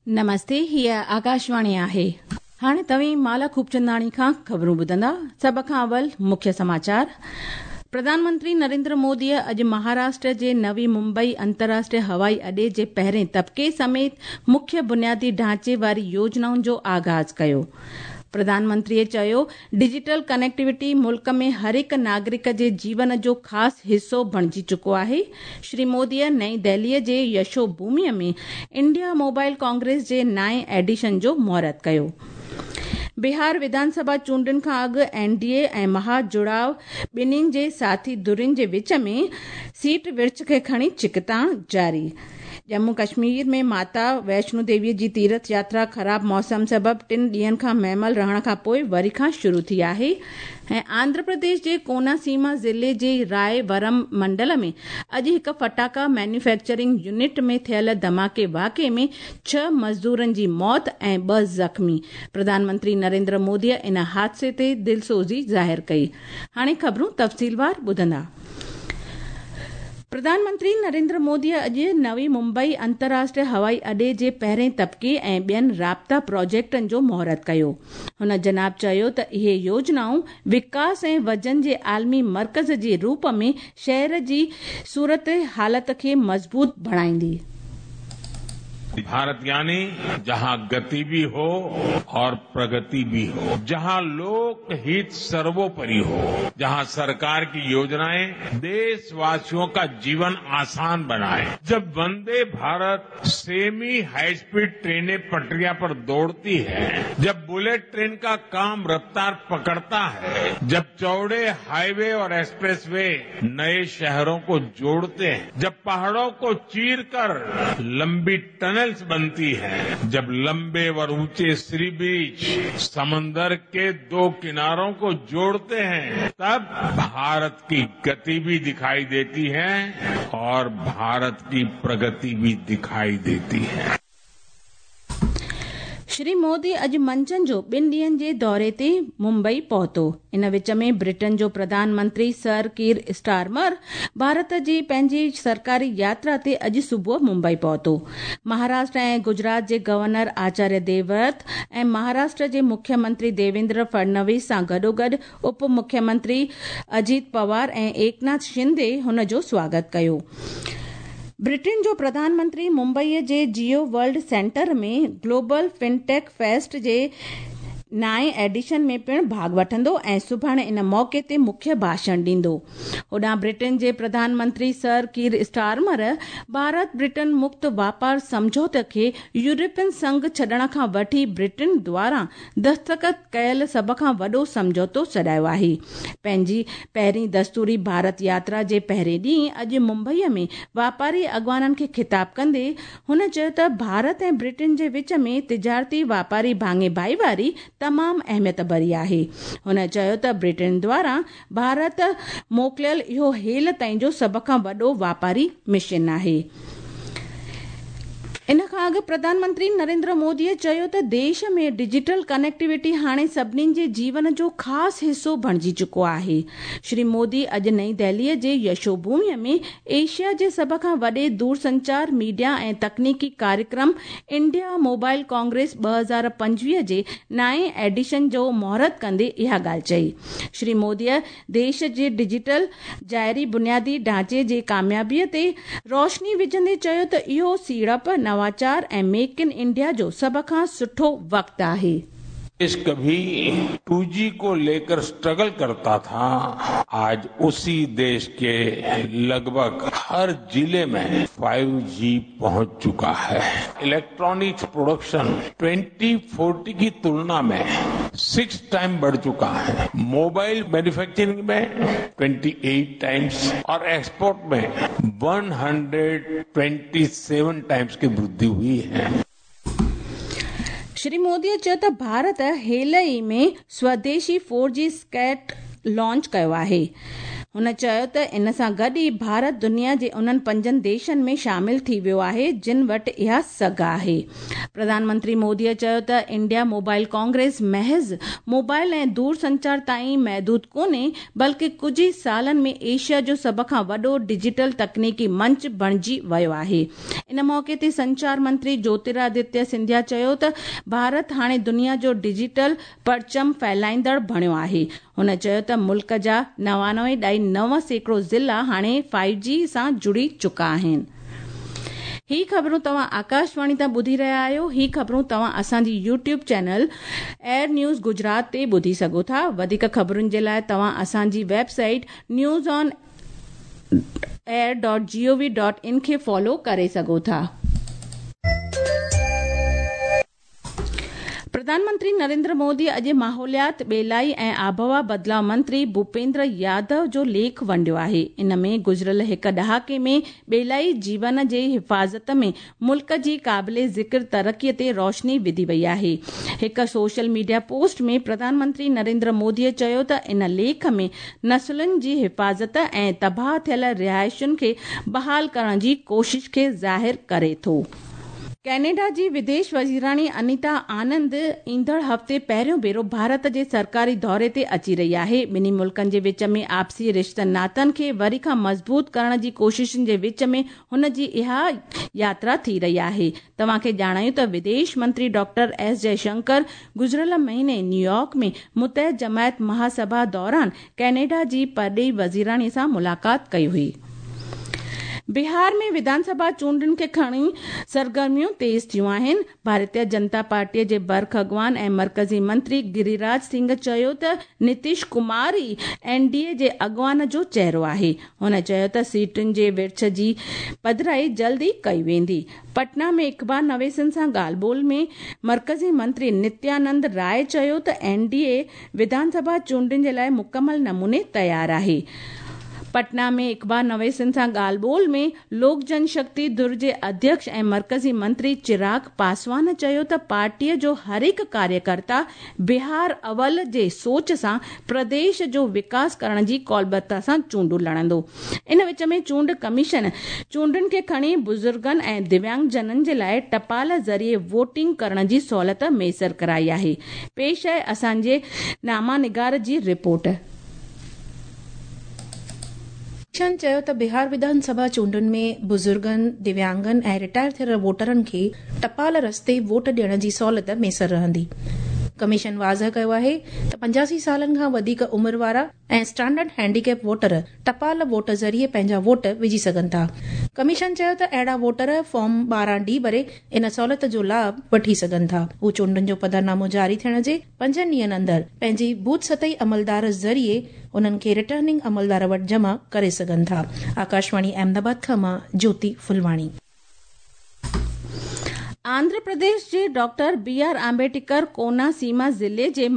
نمستي هيء آڪاشواڻي آهي. هاڻي توهين مالا خوبچنداڻي کان خبرون ٻڌندا. سڀ کان اول مکيه سماچار. پرڌان منتري نريندر موديء اڄ مهاراشٽر جي نوي ممبئي انترراشٽريه هوائي اڏي جي پهرين طبقي سميت مکيه بنيادي ڍانچي واري يوجنائن جو آغاز ڪيو. پرڌان منتريء چيو، ڊجيٽل ڪنيڪٽيوٽي ملڪ ۾ هر هڪ ناگرڪ جي جيون جو خاص حصو بڻجي چڪو آهي. شري موديء نئين دهليء جي يشو ڀوميء ۾ انڊيا موبائل ڪانگريس جي نائين ايڊيشن جو مهورت ڪيو. بهار وڌان سڀا چونڊن کان اڳ اين ڊي اي ۽ مها جڙاء ٻنهين جي ساٿي ڌرين جي وچ ۾ سيٽ ورڇ کي کڻي ڇڪتاڻ جاري. ڄمون ڪشمير ۾ ماتا ويشنو ديوي جي تيرٿ ياترا خراب موسم سبب ٽن ڏينهن کان مهمل رهڻ کان پوء وري کان شروع ٿي آهي ۽ آنڌرا پرديش جي ڪونا سيما ضلعي جي راء ورم منڊل ۾ اڄ هڪ ڦٽاڪا مينوفيڪچرنگ يونٽ ۾ ٿيل ڌماڪي واقعي ۾ ڇهه مزدورن جي موت ۽ ٻه زخمي پرڌان منتري نريندر موديء ان حادثي تي دلسوزي ظاهر ڪئي هاڻي خبرون تفصيلوار ٻڌندا. پرڌان منتري نريندر موديء اڄ نوي ممبئي انترراشٽريه هوائي اڏي جي پهرين طبقي ۽ ٻين رابطا پراجيڪٽن جو مهورت ڪيو. هن جناب چيو ته اهي يوجنائون وڪاس ۽ وزن جي عالمي مرڪز جي روپ ۾ شهر جي صورت حالت کي مضبوط بڻائيندي. भारत यानी जहां गति भी हो और प्रगति भी हो, जहां लोक हित सर्वोपरि हो, जहां सरकार की योजनाएं देशवासियों का जीवन आसान बनाए। जब Vande Bharat semi high speed ट्रेनें पटरियां पर दौड़ती हैं, जब बुलेट ट्रेन का काम रफ्तार पकड़ता है, जब चौड़े हाईवे और एक्सप्रेसवे नए शहरों को जोड़ते हैं, जब पहाड़ों को चीरकर लंबी टनल्स बनती हैं, जब लंबे और ऊंचे सी बीच समंदर के दो किनारों को जोड़ते हैं, तब भारत की गति भी दिखाई देती है और भारत की प्रगति भी दिखाई देती है। شري مودي اڄ منجهند جو ٻن ڏينهن جي دوري تي ممبئي پهتو. ان وچ ۾ برٽن جو پرڌان منتري سر ڪير اسٽارمر ڀارت جي پنهنجي سرڪاري ياترا تي اڄ صبح ممبئي پهتو. مهاراشٽر ۽ گجرات جي گورنر آچاريه ديوورت ۽ مهاراشٽر جي مکيه منتري ديويندر فڙنويس سان گڏوگڏ اپ مکيه منتري اجيت پوار ۽ ايڪناٿ شندي هن جو سواگت ڪيو. برٽن جو پرڌان منتري ممبئيء جي جيو ورلڊ سينٽر ۾ گلوبل فنٽيڪ فيسٽ جي نائين ايڊيشن ۾ پڻ ڀاڳ وٺندو ۽ سڀاڻي ان موقعي تي مکيه ڀاشڻ ڏيندو. هوڏانهن برٽن جي پرڌان منتري سر ڪير اسٽارمر ڀارت برٽن مڪت واپار سمجهوتي کي يورپين سنگهه ڇڏڻ کان وٺي برٽن دواران دستخط ڪيل سڀ کان وڏو سمجهوتو سڏايو آهي. پنهنجي پهرين دستوري ڀارت ياترا جي پهرين ڏينهن اڄ ممبئيء ۾ واپاري اڳواڻن کي خطاب ڪندي هن چيو ته ڀارت ۽ برٽن جي وچ ۾ تجارتي واپاري ڀاڱي ڀائيواري تمام اهميت ڀري آهي. هن چيو ته برٽن دواران ڀارت موڪليل اهو هيل تائين جو سڀ کان وڏو واپاري مشن آهي. ان کان اڳ پرڌان منتري نريندر موديء چيو ته ديش ۾ ڊجيٽل ڪنيڪٽيوٽي هاڻي سڀني جي جيون جو خاص حصو بڻجي چڪو آهي. شري مودي اڄ نئين دهليء جي يشو ڀوميء ۾ ايشيا جي سڀ کان وڏي دورسنچار، ميڊيا ۽ تڪنيڪي ڪاريڪرم انڊيا موبائل ڪانگريس 2025 جي نائين ايڊيشن جو مهورت ڪندي اها ڳالهه چئي. شري موديء ديش جي ڊجيٽل ظاهري بنيادي ڍانچي جي ڪاميابيء تي روشني وجهندي چيو ته اهو سيڙپ، نواچار ۽ ميڪ ان انڊيا جو سڀ کان سٺو وقت آهي. देश कभी 2G को लेकर स्ट्रगल करता था, आज उसी देश के लगभग हर जिले में 5G पहुंच चुका है। इलेक्ट्रॉनिक्स प्रोडक्शन 2040 की तुलना में 6 टाइम बढ़ चुका है। मोबाइल मैन्युफैक्चरिंग में 28 टाइम्स और एक्सपोर्ट में 127 टाइम्स की वृद्धि हुई है। شري موديء چيو ته ڀارت هيل ئي ۾ سوديشي 4G set launch ڪيو آهي. هن چيو ته ان سان گڏ ئي ڀارت دنيا جي انهن پنجن ديشن ۾ شامل ٿي ويو آهي جن وٽ اها سگهه آهي. پرڌان منتري مودي چيو ته انڊيا موبائل ڪانگريس محض موبائل ۽ دورسنچار تائين محدود ڪونهي بلڪه ڪجهه ئي سالن ۾ ايشيا جو سڀ کان وڏو ڊجيٽل تڪنيڪي منچ بڻجي ويو آهي. ان موقعي تي سنچار منتري جوترادتيه سنڌيا چيو ته ڀارت هاڻي دنيا جو ڊجيٽل پرچم ڦهلائيندڙ بڻيو آهي. هن چيو ته ملڪ جا 99.9% ضلعا هاڻي فائيو جي سان جڙي چڪا آهن. هي خبرون توهان آڪاشواڻي تان ٻڌي رهيا آهيو. هي خبرون توهان اسان جي YouTube channel AIR news Gujarat تي ٻڌي سگهو ٿا. وڌيڪ خبرن جي لاء توهان اسان جي website news on air dot G O V dot in کي فالو ڪري سگهو ٿا. پرڌان منتري نريندر مودي اڄ ماحوليات، ٻيلائي ۽ آبهوا بدلاء منتري ڀوپيندر يادو جو ليک ونڊيو آهي. ان ۾ گذريل هڪ ڏهاڪي ۾ ٻيلائي جيون جي حفاظت ۾ ملڪ جي قابل ذڪر ترقي تي روشني وڌي وئي آهي. هڪ social media post ۾ Pradhan Mantri Narendra Modi چيو ته ان ليک ۾ نسلن جي حفاظت ۽ تباهه ٿيل رهائشن کي بحال ڪرڻ جي ڪوشش کي ظاهر ڪري ٿو. ڪئناڊا جي وديش وزيراڻي انيتا آنند ايندڙ هفتي پهريون ڀيرو ڀارت جي سرڪاري دوري تي اچي رهي آهي. ٻنهي ملڪن جي وچ ۾ آپسي رشتن ناتن کي وري کان مضبوط ڪرڻ جي ڪوششن جي وچ ۾ هن جي اها ياترا ٿي رهي آهي. توهان کي ڄاڻايون ته وديش منتري ڊاڪٽر ايس جئه شنڪر گذريل مهيني نيويارڪ ۾ متحد جماعت مهاسڀا دوران ڪئناڊا جي پرڏيهي وزيراڻي سان ملاقات ڪئي هئي. بهار ۾ وڌان سڀا چونڊن کي کڻي سرگرميون تيز ٿيون آهن. ڀارتيه جنتا پارٽيء جي برک اڳواڻ ۽ مرڪزي منتري گريراج سنگهه چيو ته نتيش ڪمار ئي اين ڊي اي جي اڳواڻ جو چهرو آهي. هن چيو ته سيٽن جي ورڇ جي پڌرائي جلد ئي ڪئي ويندي. پٽنا ۾ اخبار نويسن سان ڳالهه ٻولهه ۾ مرڪزي منتري نتيانند راء چيو ته اين ڊي اي وڌان سڀا چونڊن جي لاء مڪمل نموني تيار آهي. پٽنا ۾ اخبار نويسن سان ڳالهه ٻولهه ۾ لوڪ جن شڪتي ڌر جي اڌيڪش ۽ مرڪزي منتري چراغ پاسوان چيو ته پارٽيء جو هر هڪ ڪاريڪرتا بهار اول جي سوچ سان پرديش جو وڪاس ڪرڻ جي قولبتا سان چونڊون لڙندو. ان وچ ۾ چونڊ ڪميشن چونڊن کي کڻي بزرگن ۽ دويانگ جنن جي لاء ٽپال ذريعي ووٽنگ ڪرڻ جي سهولت ميسر ڪرائي آهي. پيش آهي اسان جي نامه نگار جي رپورٽ. ڪميشن چيو ته بهار وڌان سڀا چونڊن ۾ بزرگن، دويانگن ۽ رٽائر ٿيل ووٽرن کي ٽپال رستي ووٽ ڏيڻ جي سهولت ميسر رهندي. ڪميشن واضح ڪيو آهي ته 85 سالن کان وڌيڪ عمر وارا ۽ اسٽينڊرڊ هينڊيڪيپ ووٽر ٽپال ووٽ ذريعي پنهنجا ووٽ وجهي سگهن ٿا. ڪميشن چيو ته اهڙا ووٽر فارم 12 ڊي ڀري ان سهولت جو لاڀ وٺي سگهن ٿا. هو چونڊن جو پڌرنامو جاري ٿيڻ جي پنجن ڏينهن اندر پنهنجي بوٿ سطحي عملدار ذريعي انهن کي رٽرننگ عملدار وٽ جمع ڪري سگهن ٿا. آڪاشواڻي احمد آباد کان مان جوتي ڦلواڻي. آنڌرا پرديش جي doctor B R Ambedkar Konaseema ضلعي جي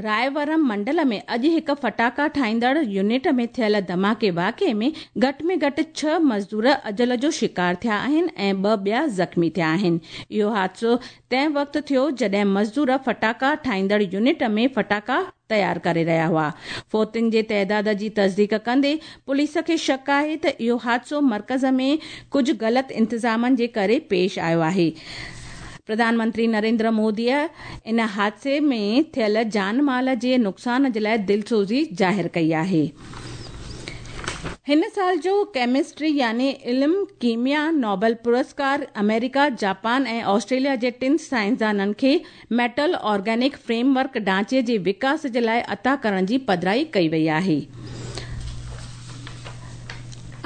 رايورم منڊل ۾ اڄ هڪ ڦٽاڪا ٺاهيندڙ يونٽ ۾ ٿيل ڌماڪي واقعي ۾ گهٽ ۾ گهٽ ڇهه مزدور اجل جو شڪار ٿيا آهن ۽ ٻه ٻيا زخمي ٿيا آهن. اهو حادثو تنهن وقت ٿيو جڏهن مزدور ڦٽاڪا ٺاهيندڙ يونٽ ۾ ڦٽاڪا تيار ڪري رهيا هئا. فوتين جي تعداد جي تصديق ڪندي پوليس کي شڪ آهي ته اهو حادثو مرڪز ۾ ڪجهه غلط انتظامن جي ڪري پيش آيو آهي. پرڌان منتري نريندر مودي ان حادثي ۾ ٿيل جان مال جي نقصان جي لاء دلسوزي ظاهر ڪئي آهي. هن سال جو ڪيمسٽري يعني علم ڪيميا نوبل پرسڪار آمريڪا، جاپان ۽ آسٽريليا جي ٽن سائنسدانن کي ميٽل آرگينڪ فريم ورڪ ڍانچي جي وڪاس جي لاء عطا ڪرڻ جي پڌرائي ڪئي وئي آهي.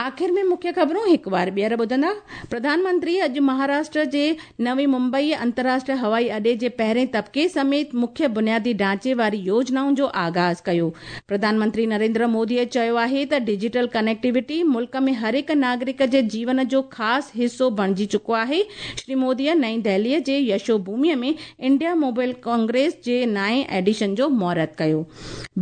آخر ۾ مکيه خبرون هڪ وار ٻيهر ٻڌندا. پرڌان منتري اڄ مهاراشٽر جي نوي ممبئي انترراشٽريه هوائي اڏي جي پهرين طبقي سميت مکيه بنيادي ڍانچي واري يوجنائن جو آغاز ڪيو. پرڌان منتري نريندر مودي چيو آهي ته ڊجيٽل ڪنيڪٽيوٽي ملڪ ۾ هر هڪ ناگرڪ جي جيون جو خاص حصو بڻجي چڪو آهي. شري مودي نئين دهلي جي يشو ڀومي ۾ انڊيا موبائل ڪانگريس جي نائين ايڊيشن جو مهورت ڪيو.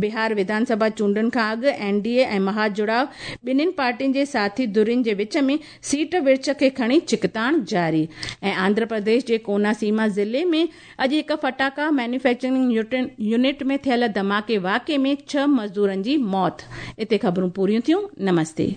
بهار وڌان سڀا چونڊن کان اڳ اين ڊي اي ۽ مها جڙاء ٻنهين پارٽين جي جي ساٿي ڌرين جي وچ ۾ سيٽ ورڇ کي کڻي ڇڪتاڻ جاري. ۽ آنڌرا پرديش جي ڪوناسيما ضلعي ۾ اڄ هڪ ڦٽاڪا مينوفيڪچرنگ يونٽ ۾ ٿيل ڌماڪي واقعي ۾ 6 مزدورن جي موت. اتي خبرون پوريون ٿيون. نمستي.